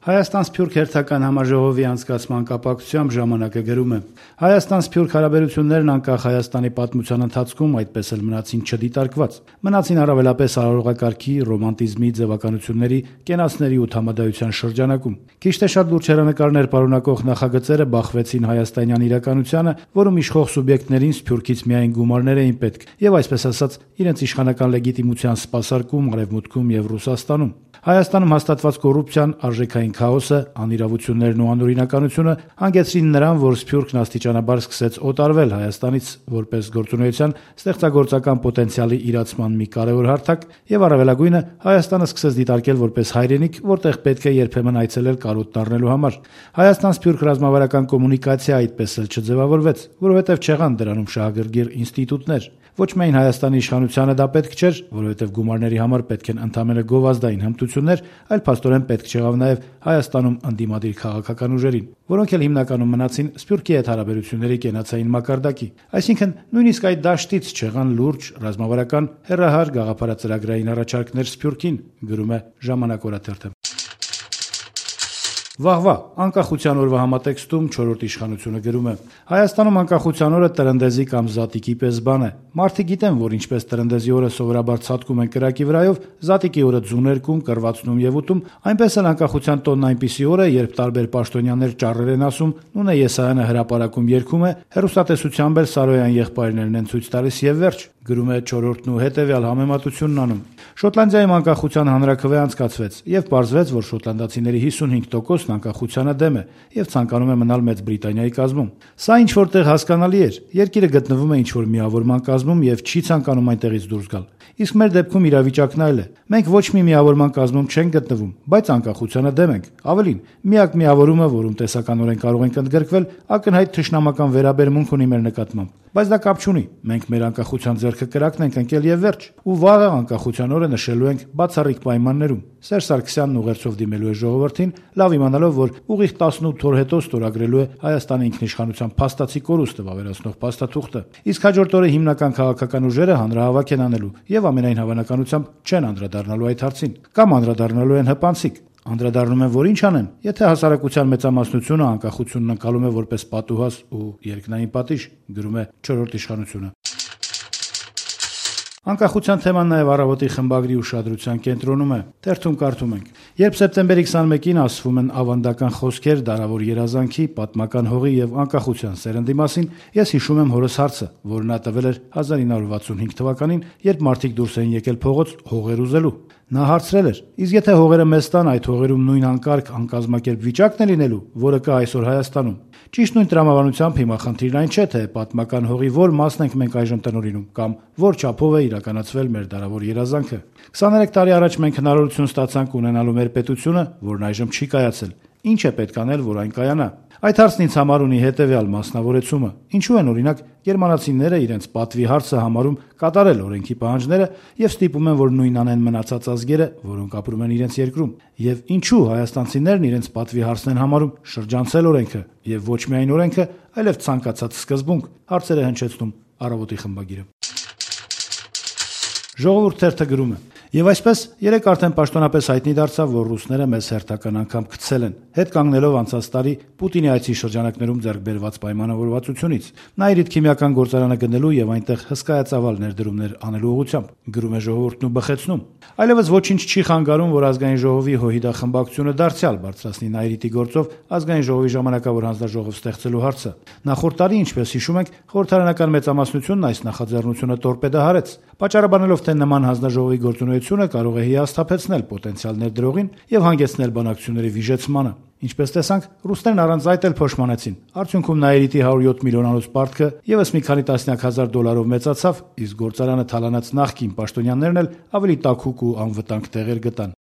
Հայաստան-Սփյուռք հերթական համաժողովի անցկացման կապակցությամբ ժամանակը գրում է. Հայաստան-Սփյուռք հարաբերություններն անկախ Հայաստանի պատմության ընթացքում այդպես էլ մնացին չդիտարկված, մնացին առավելապես արարողակարգի, ռոմանտիզմի ձևականությունների, կենացների ու համադայության շրջանակում։ Քիչ թե շատ լուրջ հեռանկարներ պարունակող նախագծերը բախվեցին հայաստանյան իրականությանը, որում իշխող սուբյեկտներին Սփյուռքից միայն գումարներ էին պետք եւ այսպես ասած իրենց իշխանական լեգիտիմության սպասարկում Արևմուտքում եւ Ռուսաստանում։ Հայաստանում հաստատված կոռուպցիան, արժեքային քաոսը, անիրավություններն ու անօրինականությունը հանգեցրին նրան, որ Սփյուռքն աստիճանաբար սկսեց օտարվել Հայաստանից որպես գործունեության ստեղծագործական պոտենցիալի իրացման մի կարևոր հարթակ եւ առավելագույնը Հայաստանը սկսեց դիտարկել որպես հայրենիք, որտեղ պետք է երբեմն այցելել կարոտ դառնելու համար։ Հայաստան-Սփյուռք ռազմավարական կոմունիկացիա այդպես էլ չձևավորվեց, որովհետեւ չեղան դրանում շահագրգիռ ինստիտուտներ։ Ոչ միայն Հայաստանի իշխանությանը դա պետք չէր, որովհետև գումարների համար պետք են ընդամենը գովազդային հմտություններ, այլ փաստորեն պետք չեղավ նաև Հայաստանում ընդդիմադիր քաղաքական ուժերին, որոնք էլ հիմնականում մնացին Սփյուռքի հետ հարաբերությունների կենացային մակարդակի։ Այսինքն նույնիսկ այդ դաշտից չեղան լուրջ ռազմավարական հեռահար գաղափարածրագրային առաջարկներ Սփյուռքին, գրում է Ժամանակ օրաթերթը։ Վաղվա անկախության օրվա համատեքստում 4-րդ իշխանությունը գրում է. Հայաստանում անկախության օրը տրնդեզի կամ զատիկի պես բան է։ Մարդիկ գիտեն, որ ինչպես տրնդեզի օրը սովորաբար ցատկում են կրակի վրայով, զատիկի օրը ձուն ներկում, կռվածնում եւ ուտում, այնպես էլ անկախության տոնն այնպիսի օր է, երբ տարբեր պաշտոնյաներ ճառեր են ասում, Նունե Եսայանը հրապարակում երգում է, հեռուստատեսությամբ էլ Սարոյան եղբայրներն են ցույց տալիս եւ վերջ, գրում է 4-րդն ու հետեւյալ համեմատությունն անում։ Շոտլանդիայում անկախության հանրաքվե անցկացվեց եւ պարզվեց, որ շոտլանդացիների 55%-ն անկախությանը դեմ է եւ ցանկանում է մնալ Մեծ Բրիտանիայի կազմում։ Սա ինչ որտեղ հասկանալի էր։ Երկիրը գտնվում է ինչ որ միավորման կազմում եւ չի ցանկանում այնտեղից դուրս գալ։ Իսկ մեր դեպքում իրավիճակն այլ է։ Մենք ոչ մի միավորման կազմում չենք գտնվում, բայց անկախությանը դեմ ենք։ Ավելին, միակ միավորումը, որում տեսականորեն կարող ենք ընդգրկվել, ակնհայտ թշնամական վերաբերմունք ունի մեր նկատմամբ։ Բայց դա կապ չունի։ Մենք մեր անկախության ձեռքը կրակն ենք ընկել եւ վերջ։ Ու վաղը անկախության օրը նշելու ենք բացառիկ պայմաններում։ Սերժ Սարգսյանն ուղերձով դիմելու է ժողովրդին, լավ իմանալով, որ ուղիղ 18 օր հետո ստորագրելու է Հայաստանի ինքնիշխանության փաստացի կորուստը վավերացնող փաստաթուղթը։ Իսկ հաջորդ օրը հիմնական քաղաքական ուժերը հանրահավաք են անելու եւ ամենայն հավանականությամբ չեն անդրադառնալու այդ հարցին, կամ անդրադառնալու են հպանցիկ։ Անդրադառնում են, որ ինչ անեն, եթե հասարակության մեծամասնությունը անկախությունն ընկալում է որպես պատուհաս ու երկնային պատիժ, գրում է 4-րդ իշխանությունը։ Անկախության թեման նաև առավոտի խմբագրի ուշադրության կենտրոնում է։ Թերթում կարդում ենք. Երբ սեպտեմբերի 21-ին ասվում են ավանդական խոսքեր դարավոր երազանքի, պատմական հողի եւ անկախության սերնդի մասին, ես հիշում եմ հորս հարցը, որը նա տվել էր 1965 թվականին, երբ մարդիկ դուրս էին եկել փողոց հողեր ուզելու։ Նա հարցրել էր. իսկ եթե հողերը մեզ տան, այդ հողերում նույն անկարգ անկազմակերպ վիճակն է լինելու, որը կա այսօր Հայաստանում։ Ճիշտ նույն տրամաբանությամբ հիմա խնդիրն այն չէ, թե պատմական հողի որ մասն ենք մենք այժմ տնօրինում կամ որ չափով է իրականացվել մեր դարավոր երազանքը։ 23 տարի առաջ մենք հնարավորություն ստացանք ունենալու մեր պետությունը, որն այժմ չի կայացել։ Ինչ է պետք անել, որ այն կայանա։ Այդ հարցն ինձ համար ունի հետևյալ մասնավորեցումը. ինչու են օրինակ գերմանացիները իրենց պատվի հարցը համարում կատարել օրենքի պահանջները եւ ստիպում են, որ նույնն անեն մնացած ազգերը, որոնք ապրում են իրենց երկրում, եւ ինչու հայաստանցիներն իրենց պատվի հարցն են համարում շրջանցել օրենքը եւ ոչ միայն օրենքը, այլև ցանկացած սկզբունք, հարցերը հնչեցնում Առավոտի խմբագիրը։ Ժողովուրդ թերթը գրում է. Եվ այսպես երեք արդեն պաշտոնապես հայտնի դարձավ, որ ռուսները մեզ հերթական անգամ գցել են, հետ կանգնելով անցած տարի Պուտինի այցի շրջանակներում ձեռք բերված պայմանավորվածությունից, Նաիրիդ քիմիական գործարանը գնելու եւ այնտեղ հսկայածավալ ներդրումներ անելու ուղղությամբ, գրում է Ժողովուրդն ու բխեցնում։ Այլևս ոչինչ չի խանգարում, որ ազգային ժողովի ՀՅԴ խմբակցությունը դարձյալ բարձրացնի Նաիրիտի գործով ազգային ժողովի ժամանակավոր հանձնաժողով ստեղծելու հարցը։ Նախորդ տարի, ինչպես հիշում ենք, խորհրդարանական մեծամասնությունն այս նախաձեռնությունը տորպեդահարեց, պատճառաբանելով, թե նման հանձնաժողովի գործունեությունը կարող է հիասթափեցնել պոտենցիալ ներդրողին եւ հանգեցնել բանակցությունների վիժեցմանը։ Ինչպես տեսանք, ռուսներն առանց այդ էլ փոշմանեցին։ Արդյունքում Նաիրիտի 107 միլիոնանոց պարտքը եւս մի քանի տասնյակ հազար դոլարով մեծացավ, իսկ գործարանը թալանած նախկին պաշտոնյաներն էլ ավելի տաքուկ ու անվտանգ տեղեր գտան։